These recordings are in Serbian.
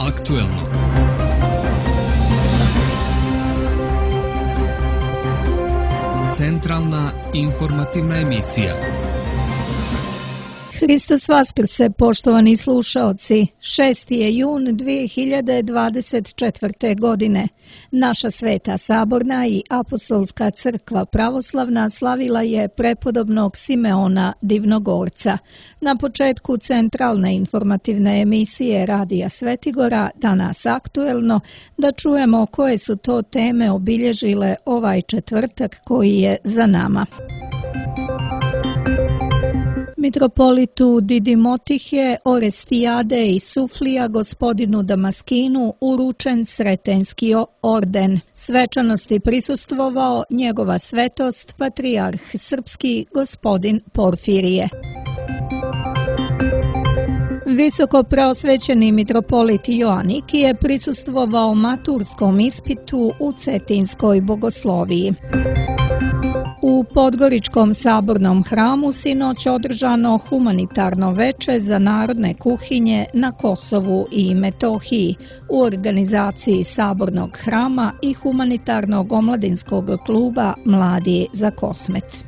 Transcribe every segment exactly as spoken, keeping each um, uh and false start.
aktuelno. Centralna informativna emisija. Hristos Vaskrse, poštovani slušaoci, šesti je jun dvije hiljade dvadeset četvrte. godine. Naša Sveta Saborna i Apostolska crkva pravoslavna slavila je prepodobnog Simeona Divnogorca. Na početku centralne informativne emisije Radija Svetigora, danas aktuelno, da čujemo koje su to teme obilježile ovaj četvrtak koji je za nama. Mitropolitu Didimotihije Orestijade i Suflija gospodinu Damaskinu uručen Sretenski orden. Svečanosti prisustvovao njegova svetost patrijarh srpski gospodin Porfirije. Visoko preosvećeni mitropolit Joanik je prisustvovao maturskom ispitu u Cetinskoj bogosloviji. U Podgoričkom sabornom hramu sinoć održano humanitarno veče za narodne kuhinje na Kosovu i Metohiji u organizaciji sabornog hrama i humanitarnog omladinskog kluba Mladi za Kosmet.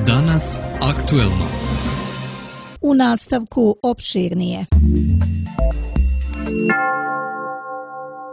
Danas aktuelno. U nastavku opširnije.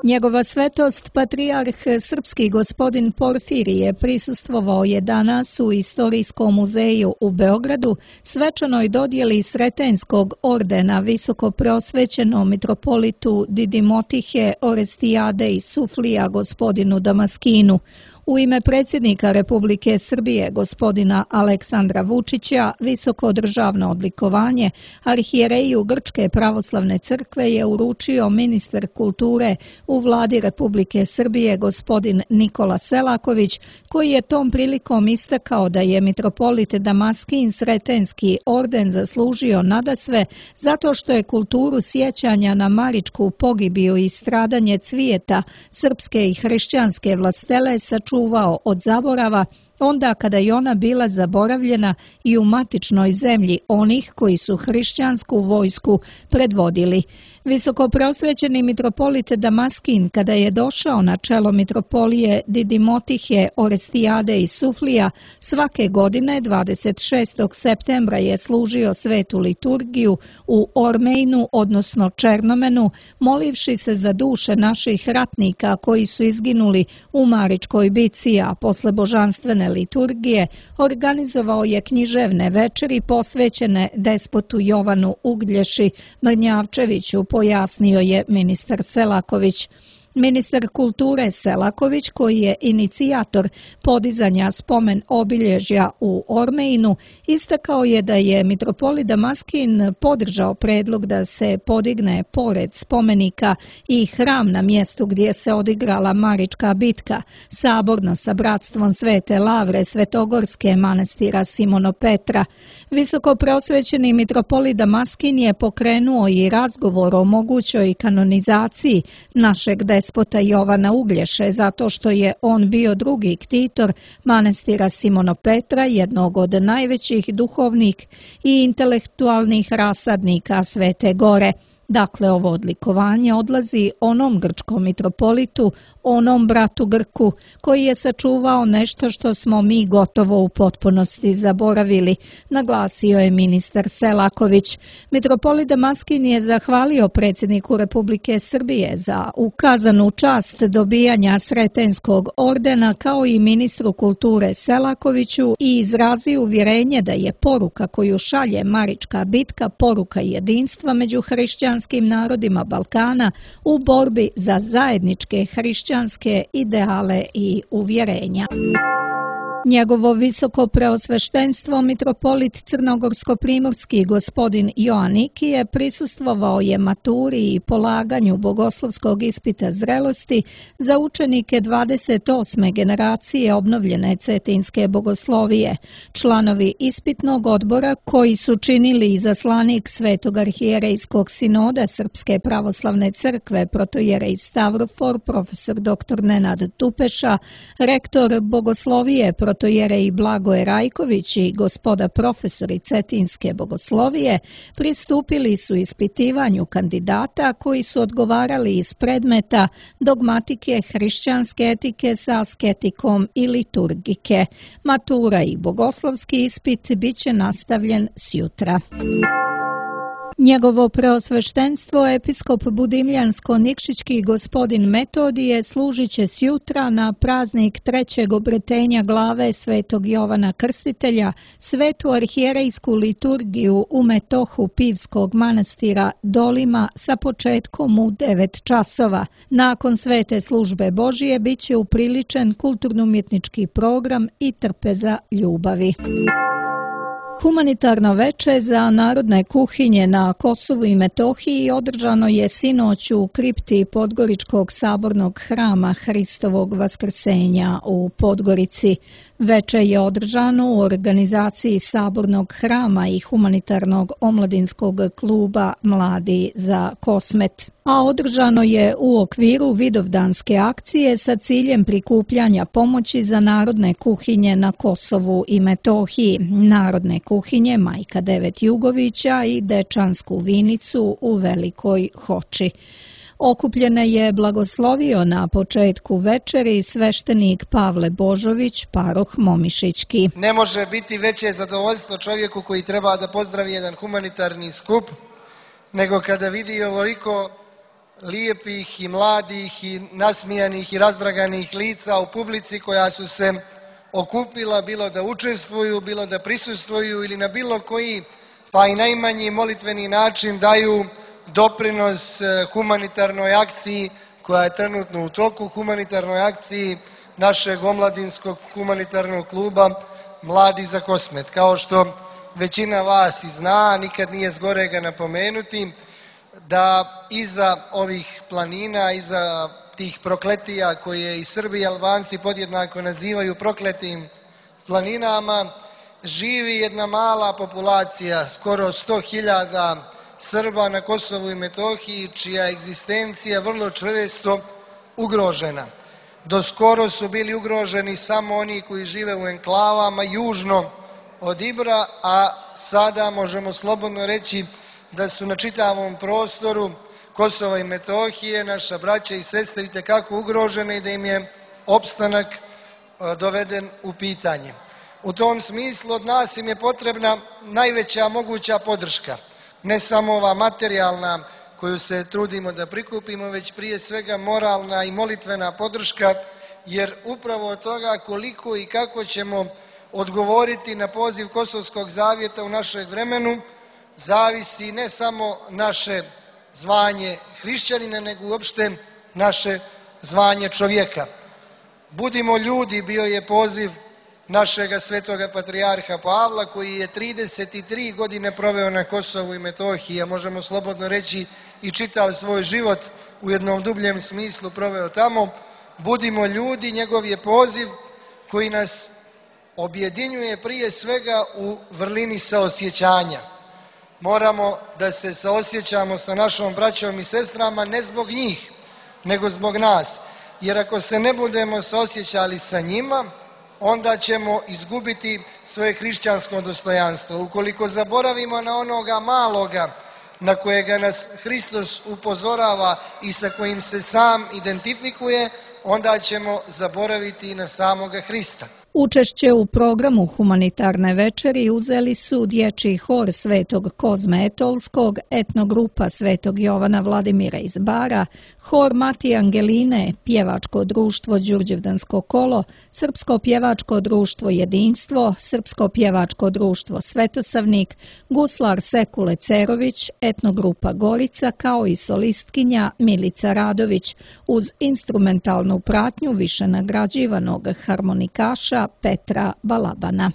Njegova svetost patrijarh srpski gospodin Porfirije prisustvovao je danas u Istorijskom muzeju u Beogradu svečanoj dodjeli Sretenskog ordena visoko preosvećenom mitropolitu Didimotihije Orestijade i Suflija gospodinu Damaskinu. U ime predsjednika Republike Srbije gospodina Aleksandra Vučića visoko državno odlikovanje arhijereju Grčke pravoslavne crkve je uručio ministar kulture u vladi Republike Srbije gospodin Nikola Selaković, koji je tom prilikom istakao da je mitropolit Damaskin Sretenski orden zaslužio nadasve zato što je kulturu sjećanja na maričku pogibiju i stradanje cvijeta srpske i hrišćanske vlastele sačuvao čuvao od zaborava, onda kada je ona bila zaboravljena i u matičnoj zemlji onih koji su hrišćansku vojsku predvodili. Visoko preosvećeni mitropolit Damaskin, kada je došao na čelo mitropolije Didimotihije Orestijade i Suflija, svake godine dvadeset šestog septembra je služio svetu liturgiju u Ormejnu, odnosno Černomenu, molivši se za duše naših ratnika koji su izginuli u Maričkoj bici, a posle božanstvene liturgije organizovao je književne večeri posvećene despotu Jovanu Uglješi Mrnjavčeviću, pojasnio je ministar Selaković. Ministar kulture Selaković, koji je inicijator podizanja spomen obilježja u Ormejnu, istakao je da je mitropolit Damaskin podržao predlog da se podigne pored spomenika i hram na mjestu gdje se odigrala Marička bitka, saborno sa bratstvom Svete Lavre Svetogorske manastira Simonopetra. Visoko preosvećeni mitropolit Damaskin je pokrenuo i razgovor o mogućoj kanonizaciji našeg despota Jovana Uglješe, zato što je on bio drugi ktitor manastira Simonopetra, jednog od najvećih duhovnih i intelektualnih rasadnika Svete Gore. Dakle, ovo odlikovanje odlazi onom grčkom mitropolitu, onom bratu Grku, koji je sačuvao nešto što smo mi gotovo u potpunosti zaboravili, naglasio je ministar Selaković. Mitropolit Damaskin je zahvalio predsjedniku Republike Srbije za ukazanu čast dobijanja Sretenskog ordena, kao i ministru kulture Selakoviću, i izrazio uvjerenje da je poruka koju šalje Marička bitka poruka jedinstva među hrišćanskim narodima Balkana u borbi za zajedničke hrišćanske ideale i uvjerenja. Njegovo visoko preosveštenstvo mitropolit Crnogorsko-primorski gospodin Joanik je prisustvovao je maturi i polaganju bogoslovskog ispita zrelosti za učenike dvadeset osme generacije obnovljene Cetinske bogoslovije. Članovi ispitnog odbora, koji su činili izaslanik Svetog arhijerejskog sinoda Srpske pravoslavne crkve protojerej Stavrofor, profesor doktor Nenad Tupeša, rektor bogoslovije protojerej protojerej Blagoje Rajković i gospoda profesori Cetinske bogoslovije pristupili su ispitivanju kandidata koji su odgovarali iz predmeta dogmatike, hrišćanske etike sa asketikom i liturgike. Matura i bogoslovski ispit biće nastavljen sjutra. Njegovo preosveštenstvo episkop Budimljansko-Nikšićki gospodin Metodije služit će sjutra na praznik trećeg obretenja glave svetog Jovana Krstitelja svetu arhijerejsku liturgiju u metohu Pivskog manastira Dolima sa početkom u devet časova. Nakon svete službe Božije bit će upriličen kulturno-umjetnički program i trpeza ljubavi. Humanitarno veče za narodne kuhinje na Kosovu i Metohiji održano je sinoć u kripti Podgoričkog sabornog hrama Hristovog vaskrsenja u Podgorici. Veče je održano u organizaciji Sabornog hrama i humanitarnog omladinskog kluba Mladi za Kosmet. A održano je u okviru vidovdanske akcije sa ciljem prikupljanja pomoći za narodne kuhinje na Kosovu i Metohiji, narodne kuhinje Majka Devet Jugovića i Dečansku vinicu u Velikoj Hoči. Okupljene je blagoslovio na početku večeri sveštenik Pavle Božović, paroh Momišićki. Ne može biti veće zadovoljstvo čovjeku koji treba da pozdravi jedan humanitarni skup, nego kada vidi ovoliko lijepih i mladih i nasmijanih i razdraganih lica u publici koja su se okupila, bilo da učestvuju, bilo da prisustvuju ili na bilo koji, pa i najmanji molitveni način daju doprinos humanitarnoj akciji koja je trenutno u toku, humanitarnoj akciji našeg omladinskog humanitarnog kluba Mladi za Kosmet. Kao što većina vas i zna, nikad nije zgorega napomenuti, da iza ovih planina, iza tih prokletija koje i Srbi i Albanci podjednako nazivaju prokletim planinama, živi jedna mala populacija, skoro sto hiljada Srba na Kosovu i Metohiji, čija egzistencija vrlo često ugrožena. Do skoro su bili ugroženi samo oni koji žive u enklavama južno od Ibra, a sada možemo slobodno reći da su na čitavom prostoru Kosova i Metohije naša braća i sestre itekako ugrožene i da im je opstanak doveden u pitanje. U tom smislu od nas im je potrebna najveća moguća podrška. Ne samo ova materijalna koju se trudimo da prikupimo, već prije svega moralna i molitvena podrška, jer upravo od toga koliko i kako ćemo odgovoriti na poziv Kosovskog zavjeta u našem vremenu, zavisi ne samo naše zvanje hrišćanina, nego uopšte naše zvanje čovjeka. Budimo ljudi, bio je poziv našega svetoga patrijarha Pavla, koji je trideset tri godine proveo na Kosovu i Metohiji, a možemo slobodno reći i čitav svoj život u jednom dubljem smislu proveo tamo. Budimo ljudi, njegov je poziv koji nas objedinjuje prije svega u vrlini saosjećanja. Moramo da se saosjećamo sa našom braćom i sestrama ne zbog njih, nego zbog nas. Jer ako se ne budemo saosjećali sa njima, onda ćemo izgubiti svoje hrišćansko dostojanstvo. Ukoliko zaboravimo na onoga maloga na kojega nas Hristos upozorava i sa kojim se sam identifikuje, onda ćemo zaboraviti i na samoga Hrista. Učešće u programu humanitarne večeri uzeli su dječji hor Svetog Kozme Etolskog, etnogrupa Svetog Jovana Vladimira iz Bara, hor Mati Angeline, pjevačko društvo Đurđevdansko kolo, Srpsko pjevačko društvo Jedinstvo, Srpsko pjevačko društvo Svetosavnik, guslar Sekule Cerović, etnogrupa Gorica kao i solistkinja Milica Radović uz instrumentalnu pratnju više nagrađivanog harmonikaša Petra Balabana.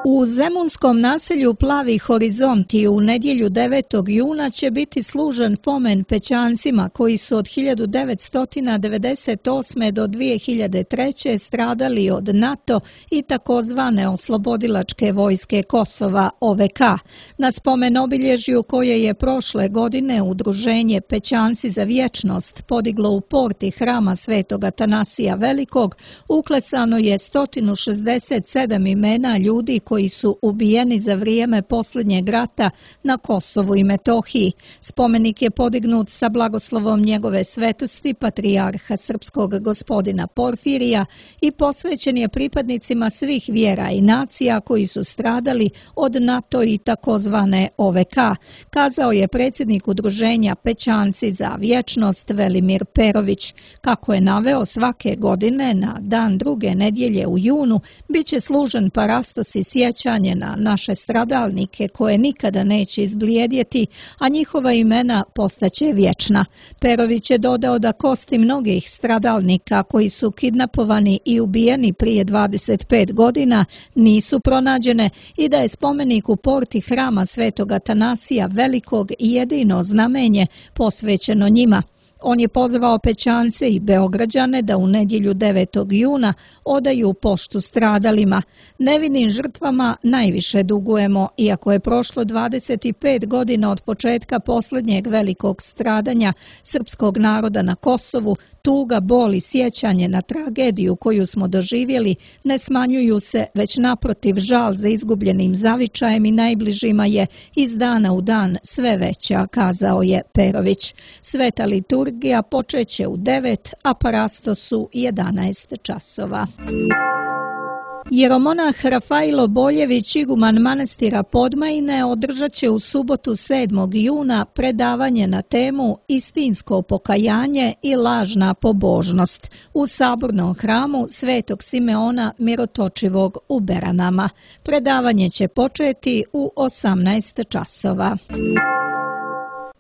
U zemunskom naselju Plavi horizonti u nedjelju devetog juna će biti služen pomen Pećancima koji su od hiljadu devetsto devedeset osme do dvije hiljade treće stradali od NATO i takozvane oslobodilačke vojske Kosova O V K. Na spomen obilježju koje je prošle godine udruženje Pećanci za vječnost podiglo u porti hrama Svetog Atanasija Velikog, uklesano je sto šezdeset sedam imena ljudi koji su ubijeni za vrijeme posljednjeg rata na Kosovu i Metohiji. Spomenik je podignut sa blagoslovom njegove svetosti patrijarha srpskog gospodina Porfirija i posvećen je pripadnicima svih vjera i nacija koji su stradali od NATO i takozvane O V K, kazao je predsjednik udruženja Pećanci za vječnost Velimir Perović. Kako je naveo, svake godine na dan druge nedjelje u junu bit će služen parastos i sjećanje na naše stradalnike koje nikada neće izblijedjeti, a njihova imena postaće vječna. Perović je dodao da kosti mnogih stradalnika koji su kidnapovani i ubijeni prije dvadeset pet godina nisu pronađene i da je spomenik u porti hrama Svetog Atanasija Velikog jedino znamenje posvećeno njima. On je pozvao Pećance i Beograđane da u nedjelju devetog juna odaju poštu stradalima. Nevinim žrtvama najviše dugujemo, iako je prošlo dvadeset pet godina od početka posljednjeg velikog stradanja srpskog naroda na Kosovu, tuga, bol i sjećanje na tragediju koju smo doživjeli ne smanjuju se, već naprotiv žal za izgubljenim zavičajem i najbližima je iz dana u dan sve veća, kazao je Perović. Sveta liturgija počeće u devet, a parastos u jedanaest časova. Jeromonah Rafailo Boljević, iguman manastira Podmajine, održat će u subotu sedmog juna predavanje na temu Istinsko pokajanje i lažna pobožnost u sabornom hramu Svetog Simeona Mirotočivog u Beranama. Predavanje će početi u osamnaest časova.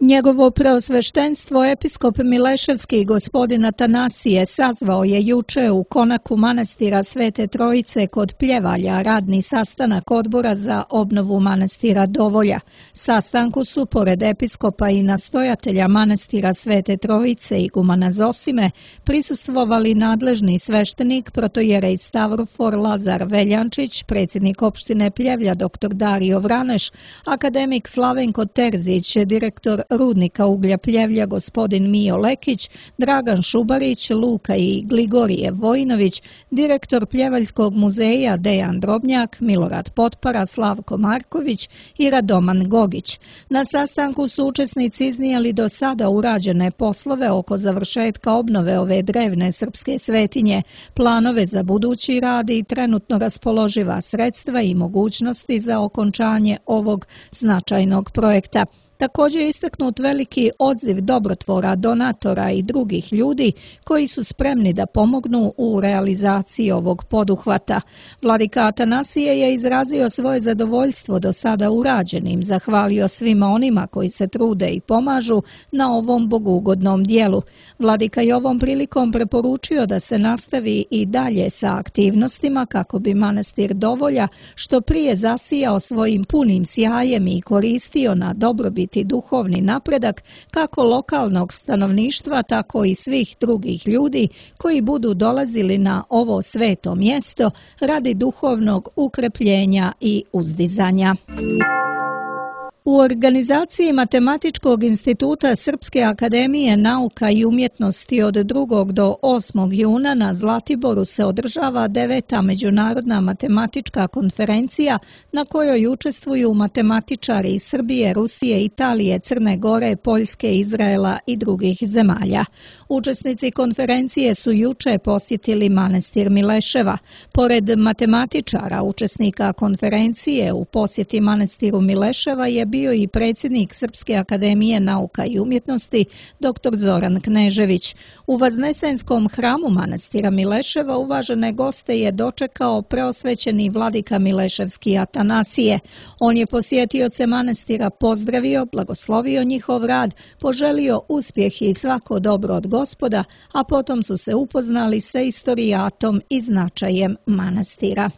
Njegovo preosveštenstvo episkop Mileševski gospodin Atanasije sazvao je juče u konaku manastira Svete Trojice kod Pljevalja radni sastanak odbora za obnovu manastira Dovolja. Sastanku su pored episkopa i nastojatelja manastira Svete Trojice igumana Zosime prisustvovali nadležni sveštenik protojerej Stavrofor Lazar Veljančić, predsjednik opštine Pljevlja dr. Dario Vraneš, akademik Slavenko Terzić, direktor Rudnika uglja Pljevlja gospodin Mijo Lekić, Dragan Šubarić, Luka i Gligorije Vojinović, direktor Pljevaljskog muzeja Dejan Drobnjak, Milorad Potpara, Slavko Marković i Radoman Gogić. Na sastanku su učesnici iznijeli do sada urađene poslove oko završetka obnove ove drevne srpske svetinje, planove za budući rad i trenutno raspoloživa sredstva i mogućnosti za okončanje ovog značajnog projekta. Također je istaknut veliki odziv dobrotvora, donatora i drugih ljudi koji su spremni da pomognu u realizaciji ovog poduhvata. Vladika Atanasije je izrazio svoje zadovoljstvo do sada urađenim, zahvalio svima onima koji se trude i pomažu na ovom bogugodnom dijelu. Vladika je ovom prilikom preporučio da se nastavi i dalje sa aktivnostima kako bi manastir Dovolja što prije zasijao svojim punim sjajem i koristio na dobrobit i duhovni napredak kako lokalnog stanovništva, tako i svih drugih ljudi koji budu dolazili na ovo sveto mjesto radi duhovnog ukrepljenja i uzdizanja. U organizaciji Matematičkog instituta Srpske akademije nauka i umjetnosti od drugog do osmog juna na Zlatiboru se održava deveta međunarodna matematička konferencija na kojoj učestvuju matematičari iz Srbije, Rusije, Italije, Crne Gore, Poljske, Izraela i drugih zemalja. Učesnici konferencije su juče posjetili manastir Mileševa. Pored matematičara, učesnika konferencije u posjeti manastiru Mileševa je bio i predsjednik Srpske akademije nauka i umjetnosti dr. Zoran Knežević. U Vaznesenskom hramu manastira Mileševa uvažene goste je dočekao preosvećeni vladika Mileševski Atanasije. On je posjetioce manastira pozdravio, blagoslovio njihov rad, poželio uspjeh i svako dobro od Gospoda, a potom su se upoznali sa istorijatom i značajem manastira.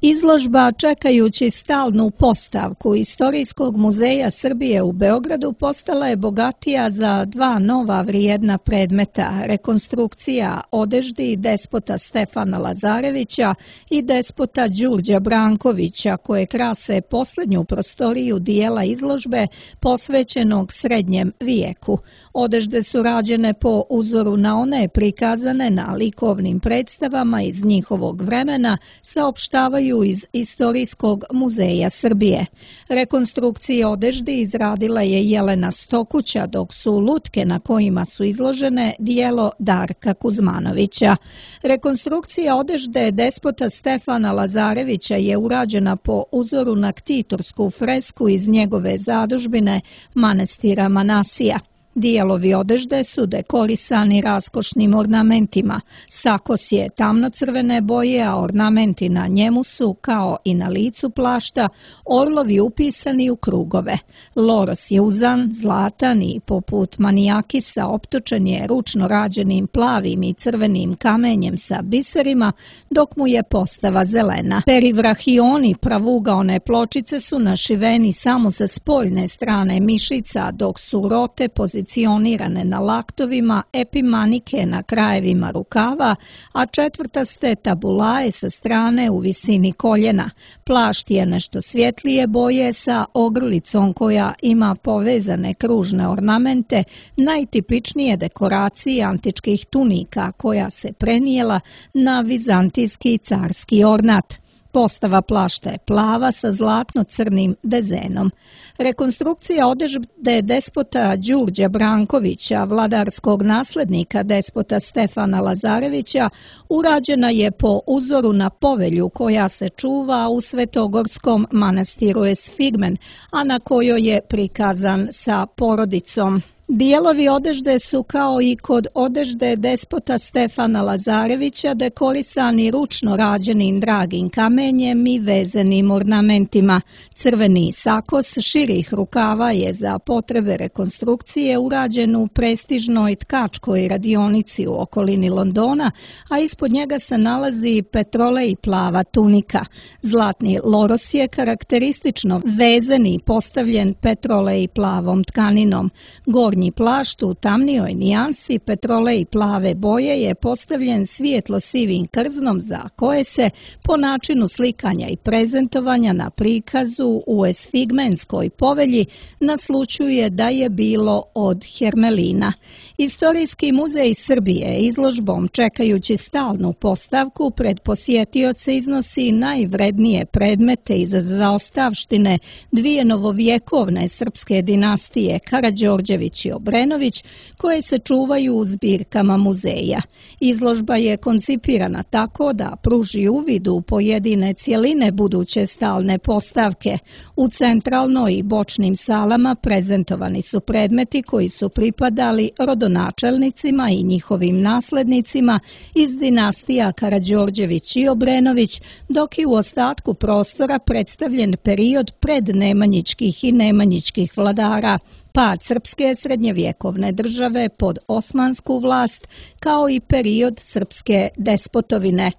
Izložba čekajući stalnu postavku Istorijskog muzeja Srbije u Beogradu postala je bogatija za dva nova vrijedna predmeta, rekonstrukcija odeždi despota Stefana Lazarevića i despota Đurđa Brankovića, koje krase posljednju prostoriju dijela izložbe posvećenog srednjem vijeku. Odežde su rađene po uzoru na one prikazane na likovnim predstavama iz njihovog vremena, saopštavaju iz Istorijskog muzeja Srbije. Rekonstrukcije odeždi izradila je Jelena Stokuća, dok su lutke na kojima su izložene dijelo Darka Kuzmanovića. Rekonstrukcija odežde despota Stefana Lazarevića je urađena po uzoru na ktitorsku fresku iz njegove zadužbine manastira Manasija. Dijelovi odežde su dekorisani raskošnim ornamentima. Sakos je tamnocrvene boje, a ornamenti na njemu su, kao i na licu plašta, orlovi upisani u krugove. Loros je uzan, zlatan i poput manijakisa optočen je ručno rađenim plavim i crvenim kamenjem sa biserima, dok mu je postava zelena. Perivrahioni pravugaone pločice su našiveni samo sa spoljne strane mišica, dok su rote pozicionirane pozicionirane na laktovima, epimanike na krajevima rukava, a četvrtaste tabulaje sa strane u visini koljena. Plašt je nešto svjetlije boje sa ogrlicom koja ima povezane kružne ornamente, najtipičnije dekoracije antičkih tunika koja se prenijela na vizantijski carski ornat. Postava plašta je plava sa zlatno-crnim dezenom. Rekonstrukcija odežde despota Đurđa Brankovića, vladarskog naslednika despota Stefana Lazarevića, urađena je po uzoru na povelju koja se čuva u Svetogorskom manastiru Esfigmen, a na kojoj je prikazan sa porodicom. Dijelovi odežde su, kao i kod odežde despota Stefana Lazarevića, dekorisani ručno rađenim dragim kamenjem i vezenim ornamentima. Crveni sakos širih rukava je za potrebe rekonstrukcije urađen u prestižnoj tkačkoj radionici u okolini Londona, a ispod njega se nalazi petrolej plava tunika. Zlatni loros je karakteristično vezan i postavljen petrolej plavom tkaninom. Gornji plašt u tamnijoj nijansi petrolej plave boje je postavljen svijetlo-sivim krznom za koje se po načinu slikanja i prezentovanja na prikazu u esfigmenskoj povelji naslućuje da je bilo od hermelina. Istorijski muzej Srbije izložbom čekajući stalnu postavku pred posjetioce iznosi najvrednije predmete iz zaostavštine dvije novovjekovne srpske dinastije Karađorđević i Obrenović, koje se čuvaju u zbirkama muzeja. Izložba je koncipirana tako da pruži uvid u pojedine cjeline buduće stalne postavke. U centralnoj i bočnim salama prezentovani su predmeti koji su pripadali rodonačelnicima i njihovim naslednicima iz dinastija Karađorđević i Obrenović, dok je u ostatku prostora predstavljen period prednemanjičkih i nemanjičkih vladara, pad srpske srednjevjekovne države pod osmansku vlast, kao i period srpske despotovine.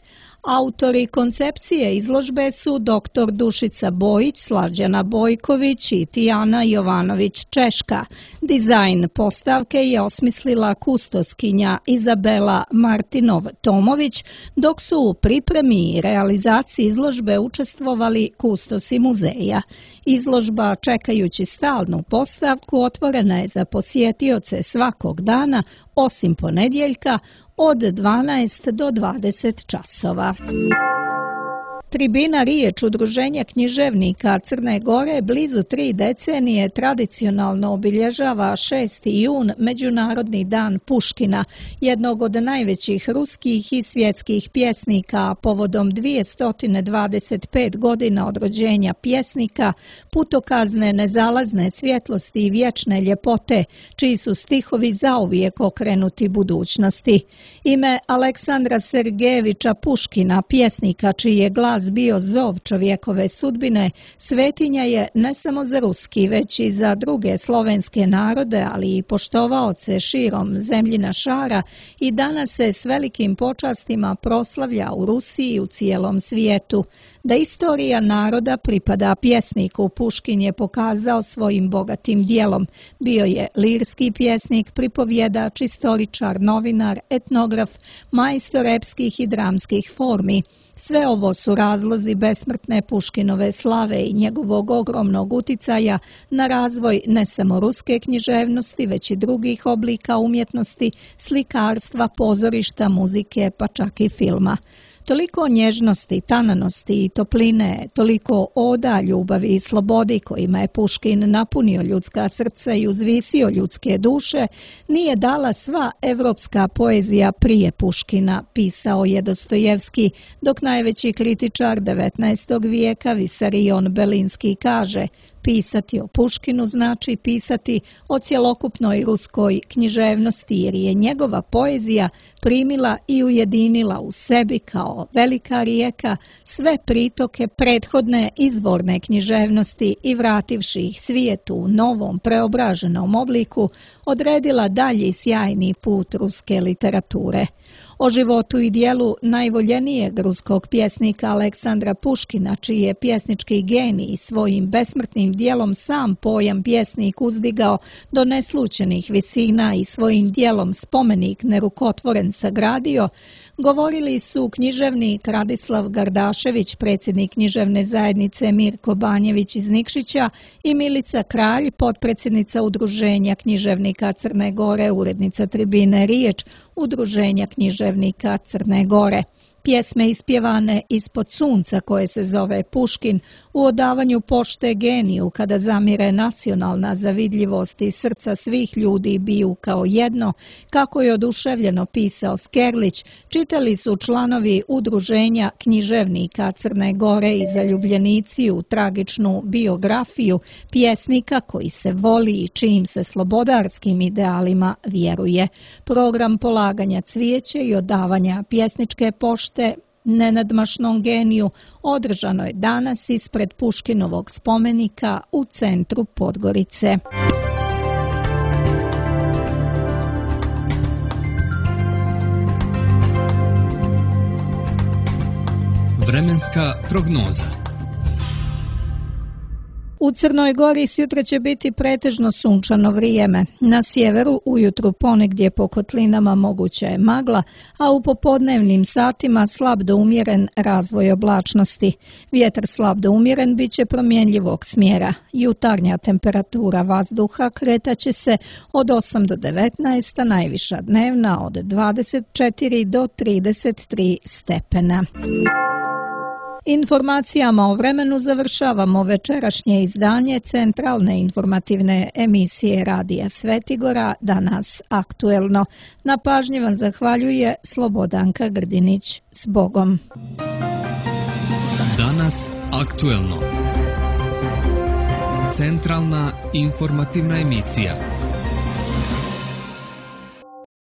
Autori koncepcije izložbe su doktor Dušica Bojić, Slađana Bojković i Tijana Jovanović Češka. Dizajn postavke je osmislila kustoskinja Izabela Martinov-Tomović, dok su u pripremi i realizaciji izložbe učestvovali kustosi muzeja. Izložba čekajući stalnu postavku otvorena je za posjetioce svakog dana, osim ponedjeljka, od dvanaest do dvadeset časova. Tribina Riječ udruženja književnika Crne Gore blizu tri decenije tradicionalno obilježava šesti jun, Međunarodni dan Puškina, jednog od najvećih ruskih i svjetskih pjesnika, povodom dvjesto dvadeset pet godina od rođenja pjesnika, putokazne nezalazne svjetlosti i vječne ljepote, čiji su stihovi zauvijek okrenuti budućnosti. Ime Aleksandra Sergejevića Puškina, pjesnika čiji je glas glas bio zov čovjekove sudbine, svetinja je ne samo za ruski, već i za druge slovenske narode, ali i poštovaoce širom zemljina šara i danas se s velikim počastima proslavlja u Rusiji i u cijelom svijetu. Da istorija naroda pripada pjesniku, Puškin je pokazao svojim bogatim dijelom. Bio je lirski pjesnik, pripovjedač, istoričar, novinar, etnograf, majstor epskih i dramskih formi. Sve ovo su razlozi besmrtne Puškinove slave i njegovog ogromnog uticaja na razvoj ne samo ruske književnosti, već i drugih oblika umjetnosti, slikarstva, pozorišta, muzike, pa čak i filma. Toliko nježnosti, tananosti i topline, toliko oda, ljubavi i slobodi kojima je Puškin napunio ljudska srca i uzvisio ljudske duše, nije dala sva evropska poezija prije Puškina, pisao je Dostojevski, dok najveći kritičar devetnaestog vijeka Visarion Belinski kaže: pisati o Puškinu znači pisati o cjelokupnoj ruskoj književnosti, jer je njegova poezija primila i ujedinila u sebi kao velika rijeka sve pritoke prethodne izvorne književnosti i vrativši ih svijetu u novom preobraženom obliku, odredila dalji sjajni put ruske literature. O životu i dijelu najvoljenijeg ruskog pjesnika Aleksandra Puškina, čiji je pjesnički genij svojim besmrtnim dijelom sam pojam pjesnik uzdigao do neslućenih visina i svojim dijelom spomenik nerukotvoren sagradio, govorili su književnik Radislav Gardašević, predsjednik književne zajednice Mirko Banjević iz Nikšića i Milica Kralj, potpredsjednica Udruženja književnika Crne Gore, urednica tribine Riječ Udruženja književnika Crne Gore. Pjesme ispjevane ispod sunca koje se zove Puškin u odavanju pošte geniju kada zamire nacionalna zavidljivost i srca svih ljudi biju kao jedno, kako je oduševljeno pisao Skerlić, čitali su članovi Udruženja književnika Crne Gore i zaljubljenici u tragičnu biografiju pjesnika koji se voli i čijim se slobodarskim idealima vjeruje. Program polaganja cvijeća i odavanja pjesničke pošte nenadmašnom geniju održano je danas ispred Puškinovog spomenika u centru Podgorice. Vremenska prognoza. U Crnoj Gori sutra će biti pretežno sunčano vrijeme. Na sjeveru ujutru ponegdje po kotlinama moguća je magla, a u popodnevnim satima slab do umjeren razvoj oblačnosti. Vjetar slab do umjeren bit će promjenljivog smjera. Jutarnja temperatura vazduha kretaće se od osam do devetnaest, a najviša dnevna od dvadeset četiri do trideset tri stepena. Informacijama o vremenu završavamo večerašnje izdanje centralne informativne emisije Radija Svetigora, Danas aktuelno. Na pažnji vam zahvaljuje Slobodanka Grdinić. S Bogom. Danas aktuelno. Centralna informativna emisija.